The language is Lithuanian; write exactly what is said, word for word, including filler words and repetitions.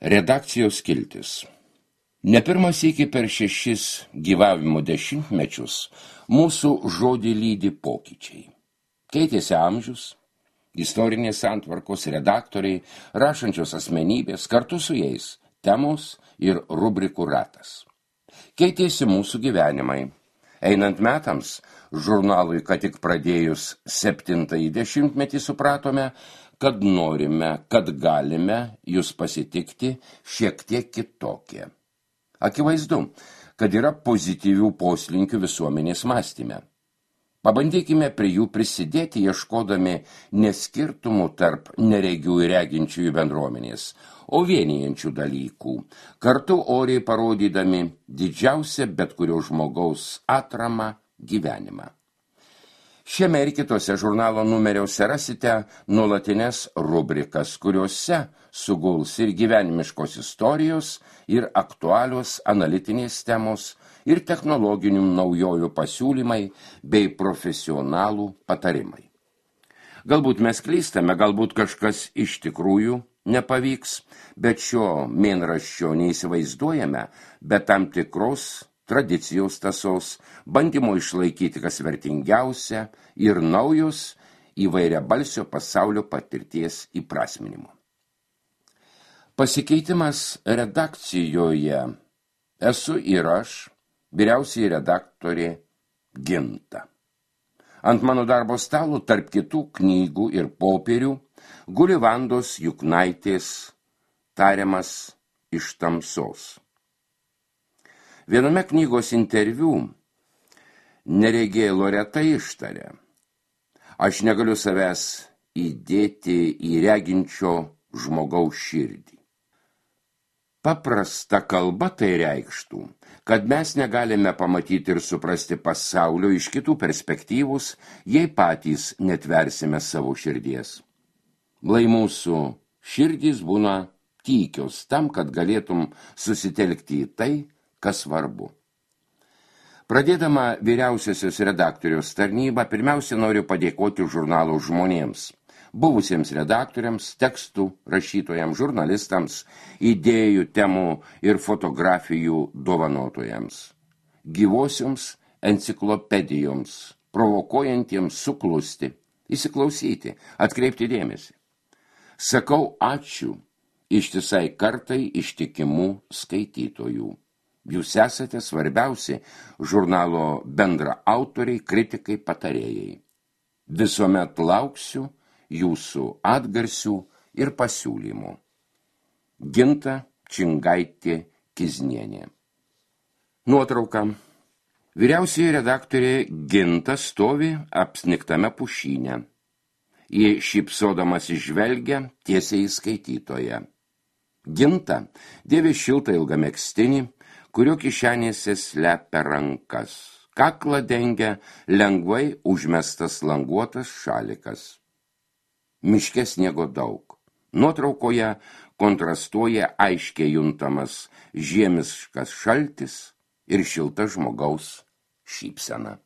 Redakcijos skiltis. Ne pirmas iki per šešis gyvavimo dešimtmečius mūsų žodį lydi pokyčiai. Keitėsi amžius, istorinės santvarkos, redaktoriai, rašančios asmenybės, kartu su jais temos ir rubrikų ratas. Keitėsi mūsų gyvenimai. Einant metams, žurnalui, kad tik pradėjus septintąjį dešimtmetį, supratome, kad norime, kad galime jūs pasitikti šiek tiek kitokie. Akivaizdu, kad yra pozityvių poslinkių visuomenės mąstyme. Pabandykime prie jų prisidėti, ieškodami neskirtumų tarp neregių ir reginčiųjų bendruomenės, o vienijančių dalykų, kartu oriai parodydami didžiausią bet kurio žmogaus atramą gyvenimą. Šiame ir kitose žurnalo numeriuose rasite nuolatines rubrikas, kuriuose suguls ir gyvenimiškos istorijos, ir aktualios analitinės temos, ir technologinių naujovių pasiūlymai bei profesionalų patarimai. Galbūt mes klystame, galbūt kažkas iš tikrųjų nepavyks, bet šio mėnraščio neįsivaizduojame, bet tam tikros tradicijos tasos, bandymo išlaikyti kas vertingiausia ir naujus įvairiabalsio pasaulio patirties įprasminimo. Pasikeitimas redakcijoje esu ir aš, vyriausiai redaktorė Ginta. Ant mano darbo stalo tarp kitų knygų ir popierių guli Vandos Juknaitės tariamas iš tamsos. Viename knygos interviu neregė Loreta ištarė: aš negaliu savęs įdėti į reginčio žmogaus širdį. Paprasta kalba tai reikštų, kad mes negalime pamatyti ir suprasti pasaulio iš kitų perspektyvus, jei patys netversime savo širdies. Lai mūsų širdys būna tykios tam, kad galėtum susitelkti į tai, kas svarbu. Pradėdama vyriausiosios redaktoriaus tarnybą, pirmiausia noriu padėkoti žurnalo žmonėms, buvusiems redaktoriams, tekstų rašytojams, žurnalistams, idėjų, temų ir fotografijų dovanotojams, gyvosioms enciklopedijoms, provokuojantiems suklusti, įsiklausyti, atkreipti dėmesį. Sakau ačiū ištisai kartai ištikimų skaitytojų. Jūs esate svarbiausi žurnalo bendra autoriai, kritikai, patarėjai. Visuomet lauksiu jūsų atgarsių ir pasiūlymų. Ginta Čingaitė Kiznienė. Nuotrauka. Vyriausioji redaktorė Ginta stovi apsniktame pušyne. Ji šypsodamas žvelgia tiesiai į skaitytoją. Ginta dėvi šiltą ilgą megztinį, kurio kišenėse slepia rankas. Kaklą dengia lengvai užmestas languotas šalikas. Miške sniego daug. Nuotraukoje kontrastuoja aiškiai juntamas žiemiškas šaltis ir šilta žmogaus šypsena.